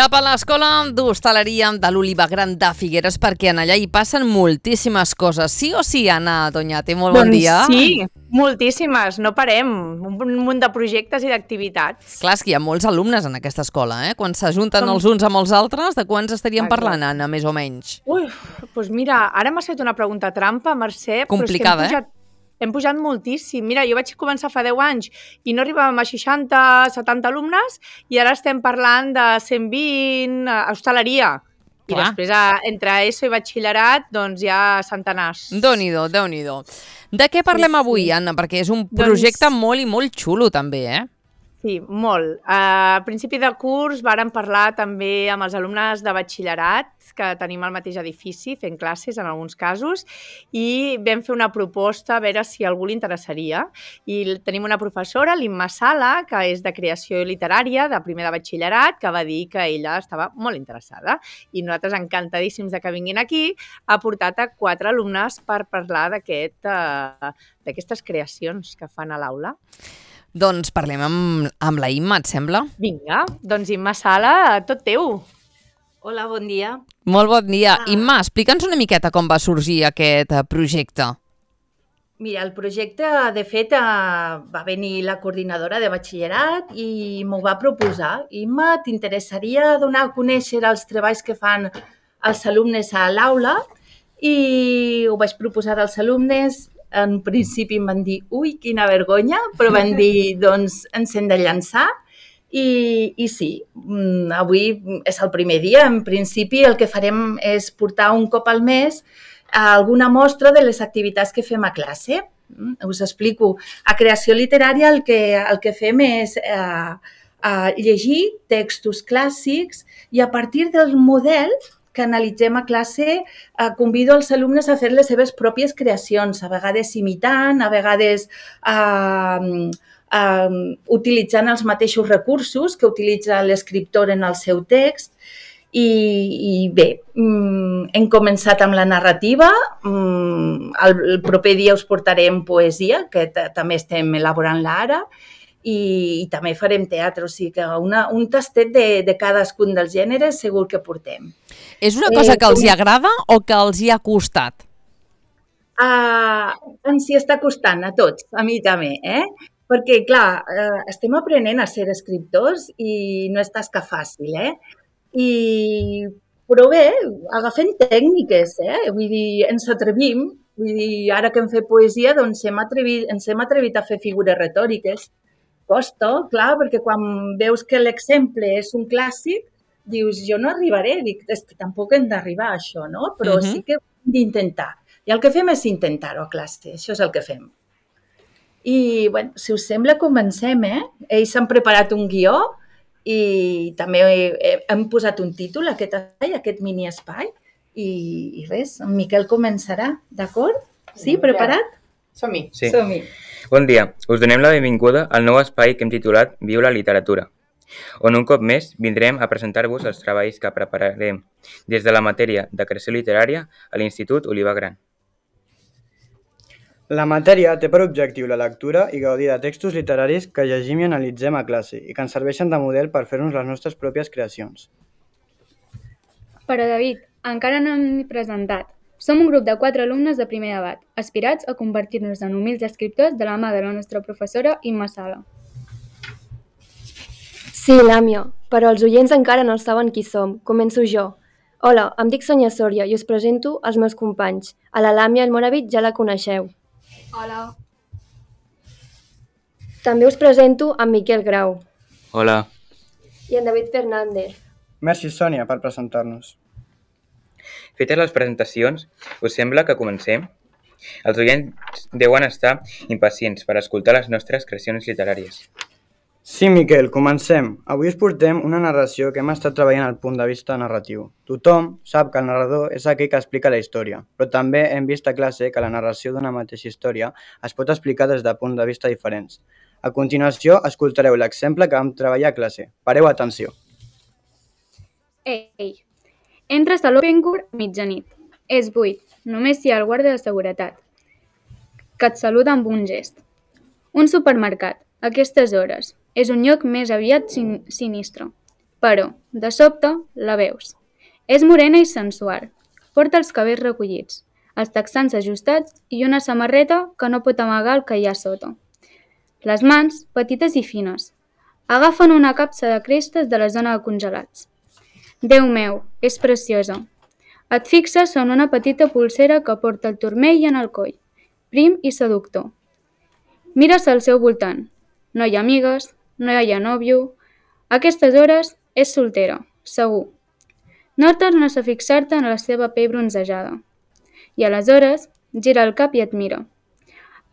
Cap a l'escola d'hostaleria de l'Oliva Gran de Figueres, perquè en allà hi passen moltíssimes coses. Sí o sí, Anna Doñate? Molt bon dia. Doncs sí, moltíssimes, no parem. Un munt de projectes i d'activitats. Clar, és que hi ha molts alumnes en aquesta escola, eh? Quan s'ajunten els uns amb els altres, de quants estaríem parlant, Anna, més o menys? Ui, doncs mira, ara m'has fet una pregunta trampa, Mercè. Complicada, però és que hem pujat moltíssim. Mira, jo vaig començar fa 10 anys i no arribàvem a 60, 70 alumnes i ara estem parlant de 120 a hostaleria. I després, entre ESO i batxillerat, doncs hi ha centenars. Déu-n'hi-do, Déu-n'hi-do. De què parlem avui, Anna? Perquè és un projecte molt i molt xulo, també, eh? Sí, molt. A principi de curs vàrem parlar també amb els alumnes de batxillerat, que tenim al mateix edifici, fent classes en alguns casos, i vam fer una proposta a veure si a algú li interessaria. I tenim una professora, l'Imma Sala, que és de creació literària, de primer de batxillerat, que va dir que ella estava molt interessada. I nosaltres, encantadíssims de que vinguin aquí, ha portat a 4 alumnes per parlar d'aquestes creacions que fan a l'aula. Doncs parlem amb la Imma, et sembla? Vinga, doncs Imma Sala, tot teu. Hola, bon dia. Molt bon dia. Imma, explica'ns una miqueta com va sorgir aquest projecte. Mira, el projecte, de fet, va venir la coordinadora de batxillerat i m'ho va proposar. Imma, t'interessaria donar a conèixer els treballs que fan els alumnes a l'aula? I ho vaig proposar als alumnes. En principi em van dir, ui, quina vergonya, però van dir, doncs, ens hem de llançar. I sí, avui és el primer dia. En principi el que farem és portar un cop al mes alguna mostra de les activitats que fem a classe. Us explico. A creació literària el que fem és llegir textos clàssics i a partir del model que analitzem a classe, convido els alumnes a fer les seves pròpies creacions, a vegades imitant, a vegades utilitzant els mateixos recursos que utilitza l'escriptor en el seu text. I bé, hem començat amb la narrativa, el proper dia us portarem poesia, que també estem elaborant-la ara, i també farem teatre, o sigui que un tastet de cadascun dels gèneres segur que portem. És una cosa que els hi agrada o que els hi ha costat? Ens hi està costant a tots, a mi també, Perquè, clar, estem aprenent a ser escriptors i no és tasca fàcil, Però bé, agafem tècniques, Vull dir, ens atrevim. Vull dir, ara que hem fet poesia, doncs ens hem atrevit a fer figures retòriques. Costa, clar, perquè quan veus que l'exemple és un clàssic, dius, jo no arribaré, dic, és que tampoc hem d'arribar a això, no? Però sí que hem d'intentar. I el que fem és intentar-ho a classe, això és el que fem. I, bueno, si us sembla, comencem, Ells han preparat un guió i també hem posat un títol a aquest mini espai i res, en Miquel començarà, d'acord? Sí, preparat? Som-hi. Sí. Som-hi. Bon dia, us donem la benvinguda al nou espai que hem titulat Viu la literatura, on un cop més vindrem a presentar-vos els treballs que prepararem des de la matèria de creació literària a l'Institut Oliva Gran. La matèria té per objectiu la lectura i gaudir de textos literaris que llegim i analitzem a classe i que ens serveixen de model per fer-nos les nostres pròpies creacions. Però David, encara no hem presentat. Som un grup de 4 alumnes de primer edat, aspirats a convertir-nos en humils escriptors de la mà de la nostra professora Imma Sala. Sí, Làmia, però els oients encara no saben qui som. Començo jo. Hola, em dic Sonia Sòria i us presento els meus companys. A la Làmia Almoravit ja la coneixeu. Hola. També us presento en Miquel Grau. Hola. I en David Fernández. Merci, Sònia, per presentar-nos. Fetes les presentacions, us sembla que comencem? Els oients deuen estar impacients per escoltar les nostres creacions literàries. Sí, Miquel, comencem. Avui us portem una narració que hem estat treballant al punt de vista narratiu. Tothom sap que el narrador és aquell que explica la història, però també hem vist a classe que la narració d'una mateixa història es pot explicar des de punts de vista diferents. A continuació, escoltareu l'exemple que vam treballar a classe. Pareu atenció. Ei, entres a l'Open Court a mitjanit. És buit, només hi ha el guàrdia de seguretat, que et saluda amb un gest. Un supermercat, a aquestes hores, és un lloc més aviat sinistre. Però, de sobte, la veus. És morena i sensual. Porta els cabells recollits, els texans ajustats i una samarreta que no pot amagar el que hi ha sota. Les mans, petites i fines, agafen una capsa de crestes de la zona de congelats. Déu meu, és preciosa. Et fixes en una petita pulsera que porta el turmell en el coll, prim i seductor. Mires al seu voltant. No hi ha amigues, no hi ha nòvio. A aquestes hores és soltera, segur. No tornes a fixar-te en la seva pell bronzejada. I aleshores gira el cap i et mira.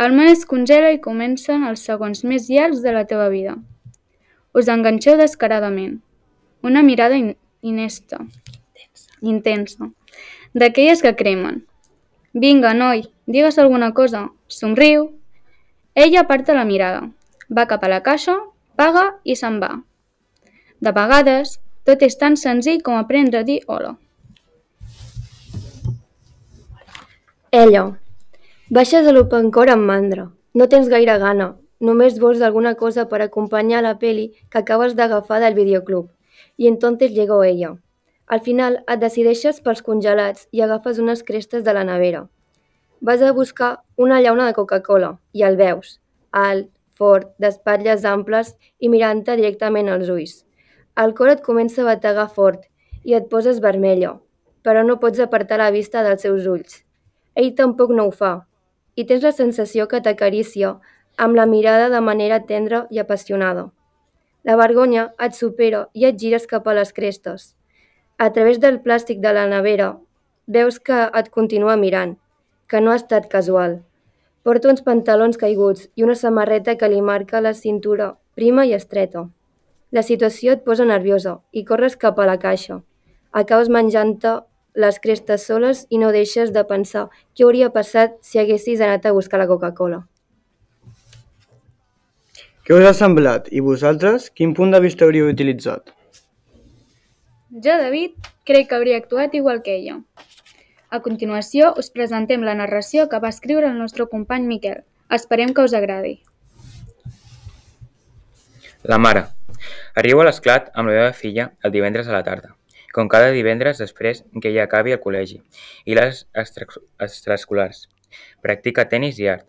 El món es congela i comencen els segons més llargs de la teva vida. Us enganxeu descaradament. Una mirada intensa, d'aquelles que cremen. Vinga, noi, digues alguna cosa, somriu. Ella aparta la mirada, va cap a la caixa, paga i se'n va. De vegades, tot és tan senzill com aprendre a dir hola. Ella. Baixes a l'opencore amb mandra. No tens gaire gana. Només vols alguna cosa per acompanyar la peli que acabes d'agafar del videoclub. I entonces llegó ella. Al final et decideixes pels congelats i agafes unes crestes de la nevera. Vas a buscar una llauna de Coca-Cola i el veus. Alt, fort, d'espatlles amples i mirant-te directament als ulls. El cor et comença a bategar fort i et poses vermella, però no pots apartar la vista dels seus ulls. Ell tampoc no ho fa, i tens la sensació que t'acaricia amb la mirada de manera tendra i apassionada. La vergonya et supera i et gires cap a les crestes. A través del plàstic de la nevera, veus que et continua mirant, que no ha estat casual. Porta uns pantalons caiguts i una samarreta que li marca la cintura prima i estreta. La situació et posa nerviosa i corres cap a la caixa. Acabes menjant-te les crestes soles i no deixes de pensar què hauria passat si haguessis anat a buscar la Coca-Cola. Què us ha semblat? I vosaltres, quin punt de vista hauríeu utilitzat? Jo, David, crec que hauria actuat igual que ella. A continuació, us presentem la narració que va escriure el nostre company Miquel. Esperem que us agradi. La mare. Arribo a l'esclat amb la meva filla el divendres a la tarda, com cada divendres després que ella acabi el col·legi i les extraescolars. Practica tenis i art.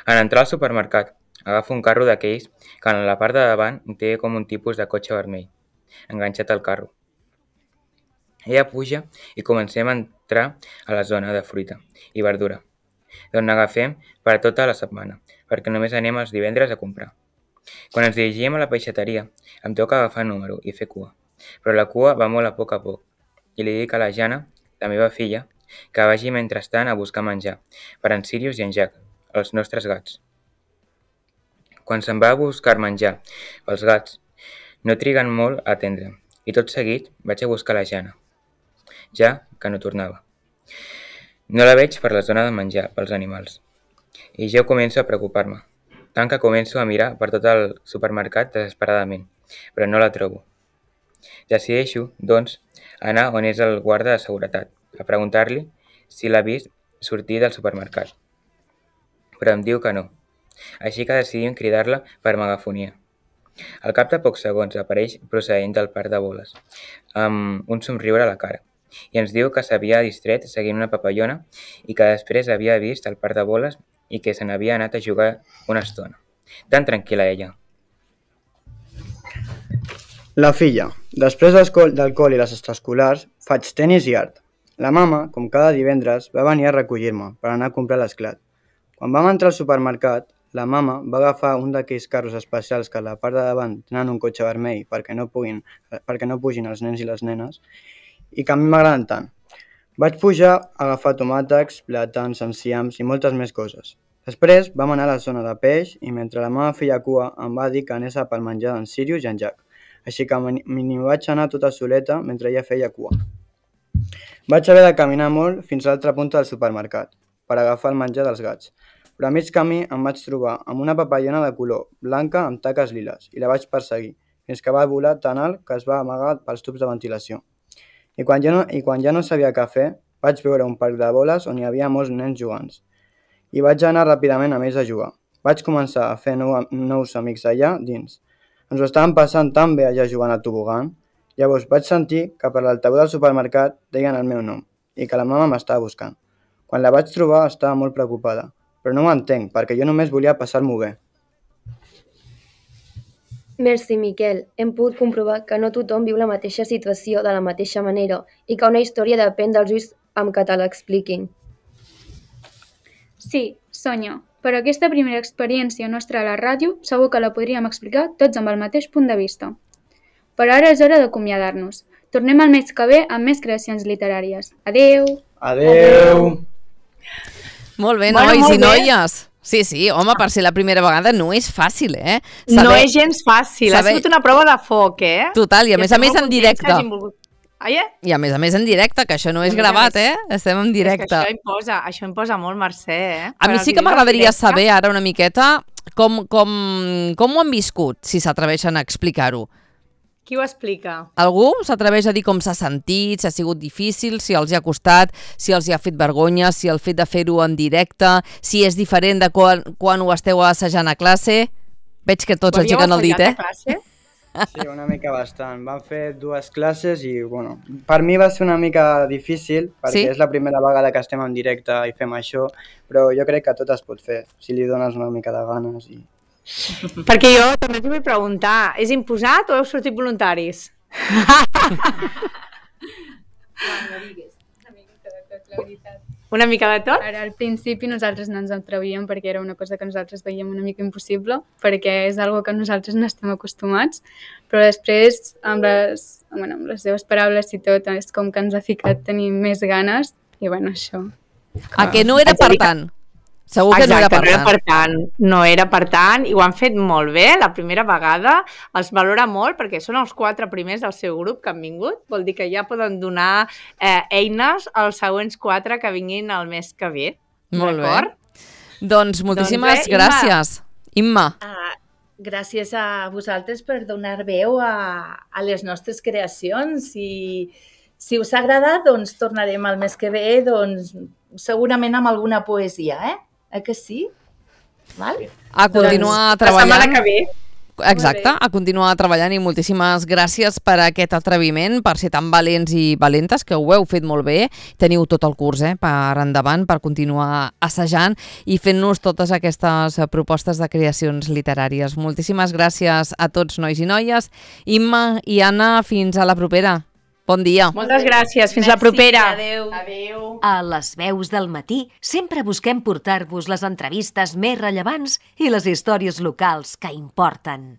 En entrar al supermercat, agafa un carro d'aquells que en la part de davant té com un tipus de cotxe vermell, enganxat al carro. Ella puja i comencem a entrar a la zona de fruita i verdura, d'on n'agafem per a tota la setmana, perquè només anem els divendres a comprar. Quan ens dirigim a la peixateria, em toca agafar número i fer cua, però la cua va molt a poc, i li dic a la Jana, la meva filla, que vagi mentrestant a buscar menjar per en Sirius i en Jack, els nostres gats. Quan se'n va a buscar menjar pels gats, no triguen molt a atendre, i tot seguit vaig a buscar la Jana, ja que no tornava. No la veig per la zona de menjar pels animals, i jo començo a preocupar-me, tant que començo a mirar per tot el supermercat desesperadament, però no la trobo. Decideixo, doncs, anar on és el guarda de seguretat, a preguntar-li si l'ha vist sortir del supermercat. Però em diu que no, així que decidim cridar-la per megafonia. Al cap de pocs segons apareix procedent del parc de boles, amb un somriure a la cara, i ens diu que s'havia distret seguint una papallona i que després havia vist el parc de boles i que se n'havia anat a jugar una estona. Tan tranquil·la ella. La filla. Després del col i les extraescolars, faig tenis i art. La mama, com cada divendres, va venir a recollir-me per anar a comprar l'esclat. Quan vam entrar al supermercat, la mama va agafar un d'aquells carros especials que a la part de davant tenen un cotxe vermell perquè no pugin els nens i les nenes i que a mi m'agraden tant. Vaig pujar a agafar tomàtegs, plàtans, enciams i moltes més coses. Després vam anar a la zona de peix i mentre la meva feia cua em va dir que anés pel menjar d'en Sirius i en Jack, així que m'hi vaig anar tota soleta mentre ella feia cua. Vaig haver de caminar molt fins a l'altra punta del supermercat per agafar el menjar dels gats, però a mig camí em vaig trobar amb una papallona de color blanca amb taques liles i la vaig perseguir fins que va volar tan alt que es va amagar pels tubs de ventilació. I quan ja no sabia què fer, vaig veure un parc de boles on hi havia molts nens jugant. I vaig anar ràpidament amb ells a jugar. Vaig començar a fer nous amics allà dins. Ens ho estàvem passant tan bé allà jugant al tobogan Llavors vaig sentir que per l'altaveu del supermercat deien el meu nom i que la mama m'estava buscant. Quan la vaig trobar estava molt preocupada, però no ho entenc perquè jo només volia passar-m'ho bé. Merci, Miquel. Hem pogut comprovar que no tothom viu la mateixa situació de la mateixa manera i que una història depèn dels ulls amb què te l'expliquin. Sí, Sònia, però aquesta primera experiència nostra a la ràdio segur que la podríem explicar tots amb el mateix punt de vista. Però ara és hora d'acomiadar-nos. Tornem el mes que ve amb més creacions literàries. Adeu! Adeu! Molt bé, Bueno, nois molt i bé. noies. Sí, home, per ser la primera vegada no és fàcil, eh? No és gens fàcil, ha saber- sigut una prova de foc, eh? Total, i a més estem molt en contents directe. que hagin volgut. Ai, I a més en directe, que això no és a més a gravat, més. Estem en És que directe. això imposa molt, Mercè, eh? A mi Per sí als que vídeos en m'agradaria directe. saber ara una miqueta com ho han viscut, si s'atreveixen a explicar-ho. Qui ho explica? Algú s'atreveix a dir com s'ha sentit, si ha sigut difícil, si els hi ha costat, si els hi ha fet vergonya, si el fet de fer-ho en directe, si és diferent de quan ho esteu assajant a classe? Veig que tots Ho havíeu aixequen el dit, assajat a classe? Sí, una mica bastant. Vam fer 2 classes i, bueno, per mi va ser una mica difícil perquè Sí? és la primera vegada que estem en directe i fem això, però jo crec que tot es pot fer si li dones una mica de ganes. Perquè jo també us vull preguntar, és imposat o heu sortit voluntaris? Una mica de tot? Ara, al principi nosaltres no ens atrevíem perquè era una cosa que nosaltres veiem una mica impossible, perquè és algo que nosaltres no estem acostumats, però després, amb les seves paraules i tot, és com que ens ha ficat tenir més ganes, i bueno, això. A que no era per tant? Segur que no era per tant. No era per tant, i ho han fet molt bé la primera vegada, els valora molt perquè són els 4 primers del seu grup que han vingut, vol dir que ja poden donar eines als següents 4 que vinguin el mes que ve. Molt bé. D'acord? Doncs moltíssimes Doncs bé, Imma. gràcies. Imma. Gràcies a vosaltres per donar veu a les nostres creacions i si us ha agradat, doncs tornarem el mes que ve, doncs segurament amb alguna poesia, que sí? Val? A continuar La setmana treballant. que ve. Exacte, a continuar treballant i moltíssimes gràcies per aquest atreviment, per ser tan valents i valentes, que ho heu fet molt bé. Teniu tot el curs per endavant, per continuar assajant i fent-nos totes aquestes propostes de creacions literàries. Moltíssimes gràcies a tots, nois i noies. Imma i Anna, fins a la propera. Bon dia. Moltes gràcies. Fins la propera. Adéu. Adéu. A les veus del matí sempre busquem portar-vos les entrevistes més rellevants i les històries locals que importen.